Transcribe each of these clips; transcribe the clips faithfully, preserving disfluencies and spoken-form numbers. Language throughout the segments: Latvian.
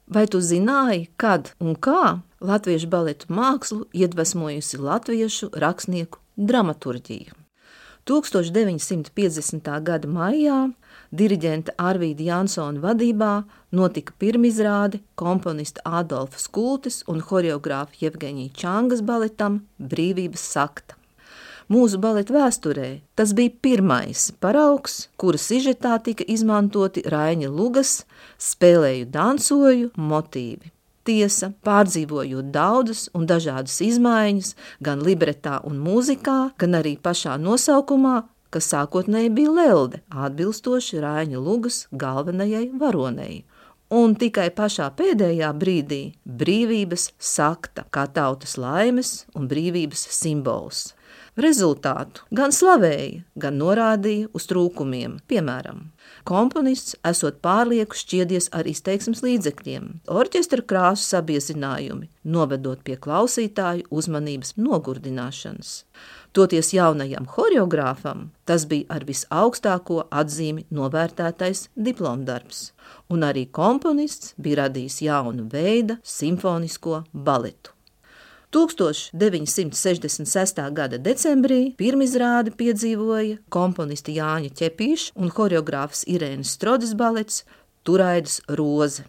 Vai tu zināji, kad un kā latviešu baletu mākslu iedvesmojusi latviešu rakstnieku dramaturģija? tūkstoš deviņsimt piecdesmitā gada maijā diriģenta Arvīda Jansona vadībā notika pirmizrāde komponista Ādolfa Skultes un horeogrāfa Jevgeņija Čangas baletam Brīvības sakta. Mūsu baleta vēsturē tas bija pirmais paraugs, kura sižetā tika izmantoti Raiņa Lugas spēlēju dansoju motīvi. Tiesa, pārdzīvojot daudzas un dažādas izmaiņas gan libretā un mūzikā, gan arī pašā nosaukumā, kas sākotnēji bija Lelde, atbilstoši Raiņa Lugas galvenajai varonei. Un tikai pašā pēdējā brīdī Brīvības sakta kā tautas laimes un brīvības simbols. Rezultātu gan slavēja, gan norādīja uz trūkumiem. Piemēram, komponists esot pārlieku šķiedies ar izteiksmes līdzekļiem, orķestra krāsu sabiezinājumi, novedot pie klausītāju uzmanības nogurdināšanas. Toties jaunajam horeogrāfam tas bija ar visaugstāko atzīmi novērtētais diplomdarbs, un arī komponists bija radījis jaunu veidu simfonisko baletu. tūkstoš deviņsimt sešdesmit sestā gada decembrī pirmizrādi piedzīvoja komponista Jāņa Ķepīša un horeogrāfs Irēnas Strodes balets Turaidas roze.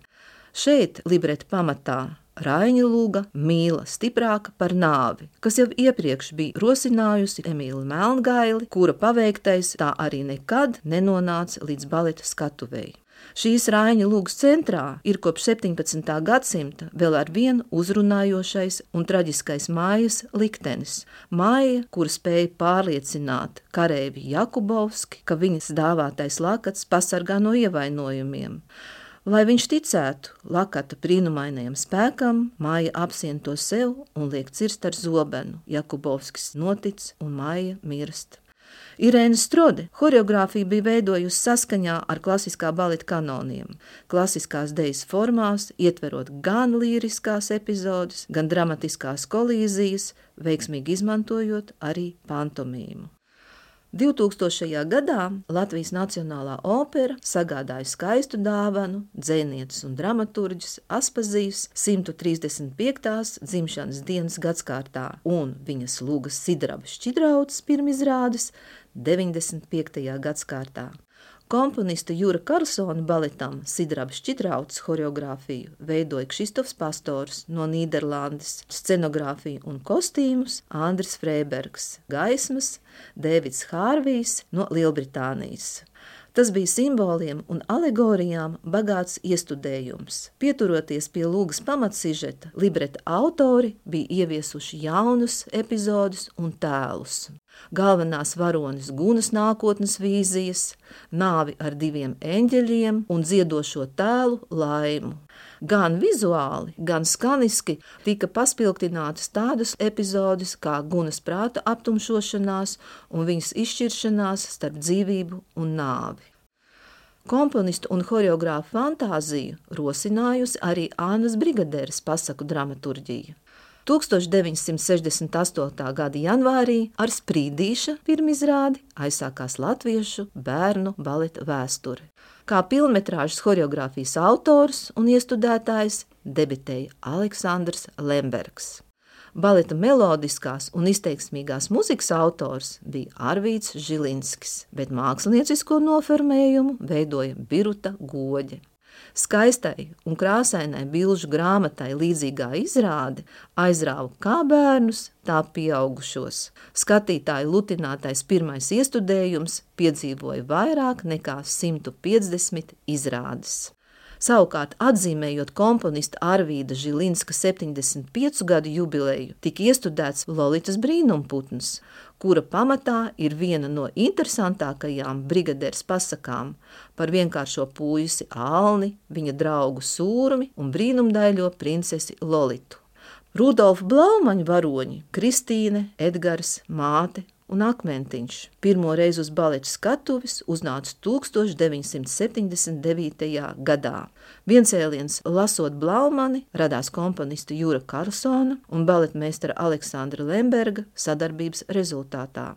Šeit libreta pamatā Raiņa Luga mīla stiprāka par nāvi, kas jau iepriekš bija rosinājusi Emīlu Melngaili, kura paveiktais tā arī nekad nenonāca līdz baleta skatuvei. Šīs Raiņa Lugas centrā ir kopš septiņpadsmitā gadsimta vēl ar vienu uzrunājošais un traģiskais mājas liktenis. Māja, kura spēja pārliecināt kareivi Jakubovski, ka viņas dāvātais lakats pasargā no ievainojumiem. Lai viņš ticētu lakata brīnumainajam spēkam, Māja apsien to sev un liek cirst ar zobenu. Jakubovskis notic un Māja mirst. Irēna Strode horeogrāfiju bija veidojusi saskaņā ar klasiskā baleta kanoniem, klasiskās dejas formās, ietverot gan līriskās epizodes, gan dramatiskās kolīzijas, veiksmīgi izmantojot arī pantomīmu. divtūkstošajā gadā Latvijas Nacionālā opera sagādāja skaistu dāvanu dzejnieces un dramaturģis Aspazijas simt trīsdesmit piektās dzimšanas dienas gadskārtā un viņas Lugas Sidraba Šķidrauces pirmizrādes deviņdesmit piektajā gadskārtā. Komponista Jura Karlsona baletam Sidraba Šķidrauces horeogrāfiju veidoja Kšistofs Pastors no Nīderlandes, scenogrāfiju un kostīmus Andris Freibergs, gaismas Dēvids Hārvijs no Lielbritānijas. Tas bija simboliem un alegorijām bagāts iestudējums. Pieturoties pie Lugas pamatsižeta, libreta autori bija ieviesuši jaunus epizodus un tēlus. Galvenās varonis Gunas nākotnes vīzijas, nāvi ar diviem eņģeļiem un dziedošo tēlu Laimu. Gan vizuāli, gan skaniski tika paspilgtinātas tādas epizodes kā Gunas prāta aptumšošanās un viņas izšķiršanās starp dzīvību un nāvi. Komponistu un horeogrāfu fantāziju rosinājusi arī Ānas Brigaderes pasaku dramaturģija. tūkstoš deviņsimt sešdesmit astotā gada janvārī ar Sprīdīša pirmizrādi aizsākās latviešu bērnu baleta vēsture. Kā pilnmetrāžas horeogrāfijas autors un iestudētājs debitēja Aleksandrs Lembergs. Baleta melodiskās un izteiksmīgās muzikas autors bija Arvīds Žilinskis, bet māksliniecisko noformējumu veidoja Biruta Goģe. Skaistai un krāsainai bilžu grāmatai līdzīgā izrāde aizrāva kā bērnus, tā pieaugušos. Skatītāju lutinātais pirmais iestudējums piedzīvoja vairāk nekā simt piecdesmit izrādes. Savukārt, atzīmējot komponista Arvīda Žilinska septiņdesmit piecu gadu jubileju, tika iestudēts Lolitas brīnumputns, kura pamatā ir viena no interesantākajām Brigaderes pasakām par vienkāršo puisi Alni, viņa draugu Sūrmi un brīnumdaļo princesi Lolitu. Rudolfa Blaumaņa varoņi Kristīne, Edgars, māte un Akmentiņš. Pirmo reizi uz baleta skatuves uznāca tūkstoš deviņsimt septiņdesmit devītajā gadā. Viencēliens lasot Blaumani radās komponista Jura Karlsona un baletmeistara Aleksandra Lemberga sadarbības rezultātā.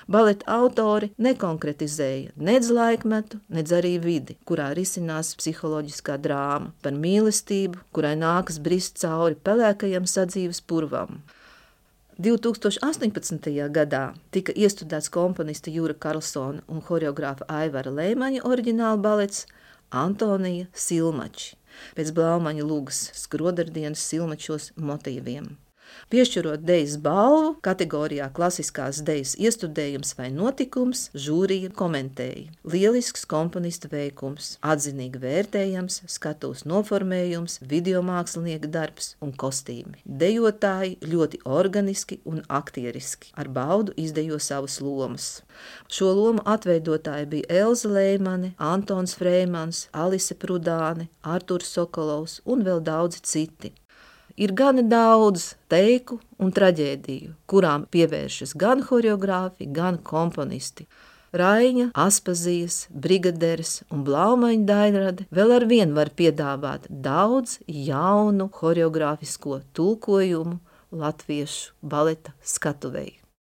Baleta autori nekonkretizēja nedz laikmetu, nedz arī vidi, kurā risinās psiholoģiskā drāma par mīlestību, kurai nākas brist cauri pelēkajam sadzīves purvam. divi tūkstoši astoņpadsmitajā gadā tika iestudēts komponista Jura Karlsona un horeogrāfa Aivara Leimaņa oriģināla balets Antonija Silmači, pēc Blaumaņa Lugas Skrodardienas Silmačos motīviem. Piešķirot dejas balvu kategorijā klasiskās dejas iestudējums vai notikums, žūrija komentēja. Lielisks komponista veikums, atzinīgi vērtējams, skatuves noformējums, videomākslinieka darbs un kostīmi. Dejotāji ļoti organiski un aktieriski, ar baudu izdejo savas lomas. Šo lomu atveidotāji bija Elza Leimane, Antons Freimans, Alise Prudāne, Arturs Sokolovs un vēl daudzi citi. Ir gana daudz teiku un traģēdiju, kurām pievēršas gan horeogrāfi, gan komponisti. Raiņa, Aspazijas, Brigaderes un Blaumaņa daļrade vēl ar vien var piedāvāt daudz jaunu horeogrāfisko tulkojumu latviešu baleta skatuvei.